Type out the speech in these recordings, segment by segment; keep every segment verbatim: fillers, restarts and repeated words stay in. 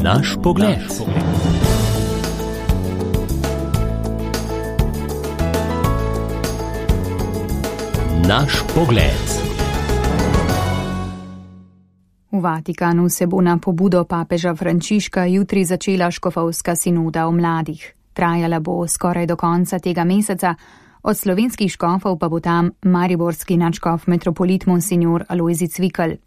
Naš pogled. Naš pogled. V Vatikanu se bo na pobudo papeža Frančiška jutri začela škofovska sinoda o mladih. Trajala bo skoraj do konca tega meseca, od slovenskih škofov pa bo tam mariborski nadškof metropolit monsignor Alojzij Cvikl.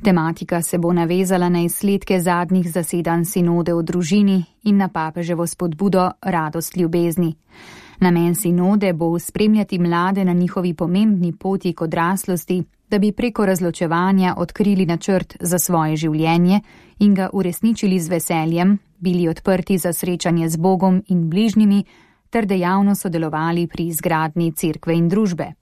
Tematika se bo navezala na izsledke zadnjih zasedanj sinode o družini in na papeževo spodbudo radost ljubezni. Namen sinode bo spremljati mlade na njihovi pomembni poti k odraslosti, da bi preko razločevanja odkrili načrt za svoje življenje in ga uresničili z veseljem, bili odprti za srečanje z Bogom in bližnjimi ter dejavno sodelovali pri izgradnji cerkve in družbe.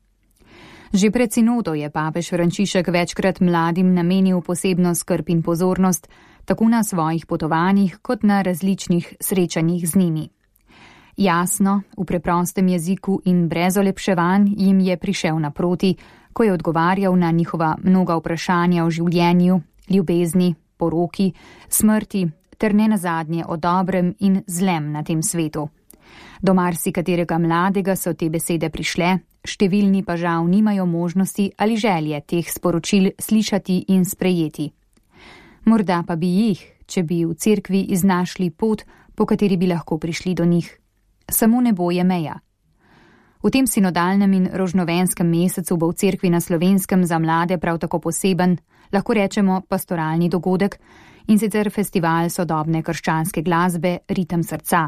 Že pred sinodo je papež Frančišek večkrat mladim namenil posebno skrb in pozornost, tako na svojih potovanjih kot na različnih srečanjih z njimi. Jasno, v preprostem jeziku in brez olepševanj jim je prišel naproti, ko je odgovarjal na njihova mnoga vprašanja o življenju, ljubezni, poroki, smrti ter nenazadnje o dobrem in zlem na tem svetu. Do marsikaterega mladega so te besede prišle, številni pa žal nimajo možnosti ali želje teh sporočil slišati in sprejeti. Morda pa bi jih, če bi v cerkvi iznašli pot, po kateri bi lahko prišli do njih. Samo nebo je meja. V tem sinodalnem in rožnovenskem mesecu bo v cerkvi na Slovenskem za mlade prav tako poseben, lahko rečemo pastoralni dogodek, in sicer festival sodobne krščanske glasbe Ritem srca.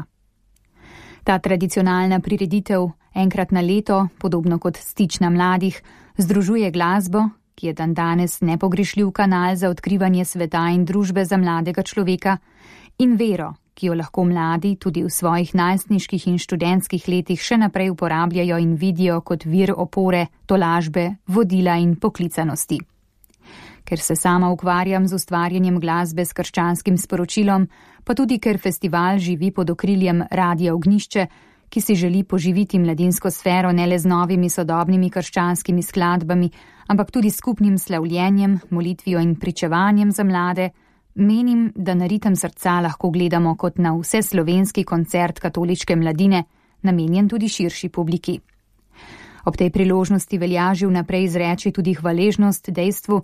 Ta tradicionalna prireditev enkrat na leto, podobno kot Stična mladih, združuje glasbo, ki je dandanes nepogrešljiv kanal za odkrivanje sveta in družbe za mladega človeka, in vero, ki jo lahko mladi tudi v svojih najstniških in študentskih letih še naprej uporabljajo in vidijo kot vir opore, tolažbe, vodila in poklicanosti. Ker se sama ukvarjam z ustvarjanjem glasbe s krščanskim sporočilom, pa tudi ker festival živi pod okriljem Radia Ognjišče, ki si želi poživiti mladinsko sfero ne le z novimi sodobnimi krščanskimi skladbami, ampak tudi skupnim slavljenjem, molitvijo in pričevanjem za mlade, menim, da na Ritem srca lahko gledamo kot na vseslovenski koncert katoliške mladine, namenjen tudi širši publiki. Ob tej priložnosti velja že vnaprej izreči tudi hvaležnost dejstvu,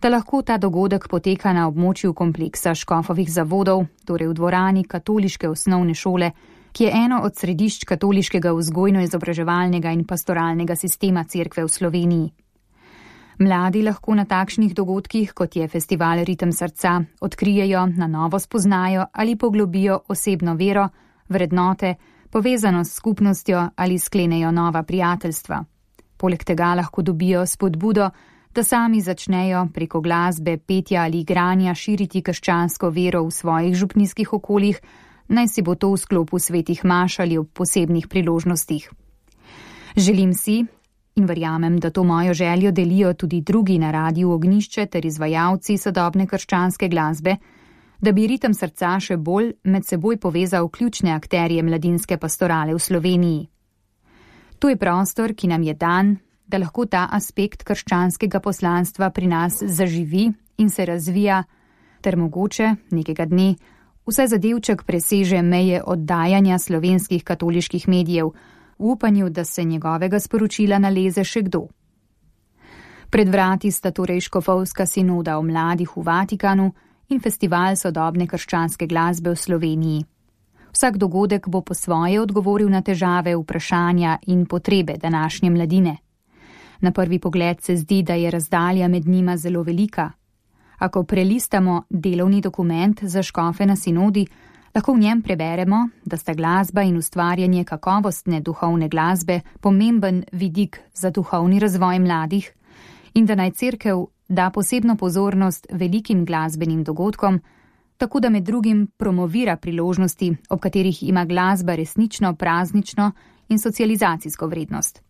da lahko ta dogodek poteka na območju kompleksa škofovih zavodov, torej v dvorani katoliške osnovne šole, ki je eno od središč katoliškega vzgojno-izobraževalnega in pastoralnega sistema cerkve v Sloveniji. Mladi lahko na takšnih dogodkih, kot je festival Ritem srca, odkrijejo, na novo spoznajo ali poglobijo osebno vero, vrednote, povezanost s skupnostjo ali sklenejo nova prijateljstva. Poleg tega lahko dobijo spodbudo, da sami začnejo preko glasbe, petja ali igranja širiti krščansko vero v svojih župnijskih okoljih, naj si bo to v sklopu svetih maš ali ob posebnih priložnostih. Želim si, in verjamem, da to mojo željo delijo tudi drugi na Radiu Ognjišče ter izvajalci sodobne krščanske glasbe, da bi Ritem srca še bolj med seboj povezal ključne akterje mladinske pastorale v Sloveniji. To je prostor, ki nam je dan, da lahko ta aspekt krščanskega poslanstva pri nas zaživi in se razvija, ter mogoče nekega dne vsaj zadevček preseže meje oddajanja slovenskih katoliških medijev, v upanju, da se njegovega sporočila naleze še kdo. Pred vrati sta torej škofovska sinoda o mladih v Vatikanu in festival sodobne krščanske glasbe v Sloveniji. Vsak dogodek bo po svoje odgovoril na težave, vprašanja in potrebe današnje mladine. Na prvi pogled se zdi, da je razdalja med njima zelo velika. Ako prelistamo delovni dokument za škofe na sinodi, lahko v njem preberemo, da sta glasba in ustvarjanje kakovostne duhovne glasbe pomemben vidik za duhovni razvoj mladih in da naj cerkev da posebno pozornost velikim glasbenim dogodkom, tako da med drugim promovira priložnosti, ob katerih ima glasba resnično praznično in socializacijsko vrednost.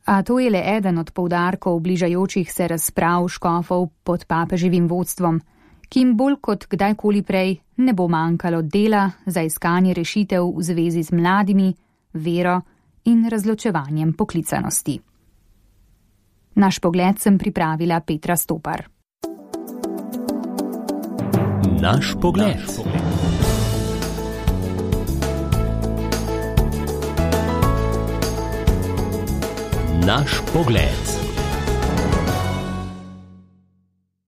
A to je le eden od poudarkov bližajočih se razprav škofov pod papeževim vodstvom, ki jim bolj kot kdajkoli prej ne bo manjkalo dela za iskanje rešitev v zvezi z mladimi, vero in razločevanjem poklicanosti. Naš pogled sem pripravila Petra Stopar. Naš pogled. Naš pogled.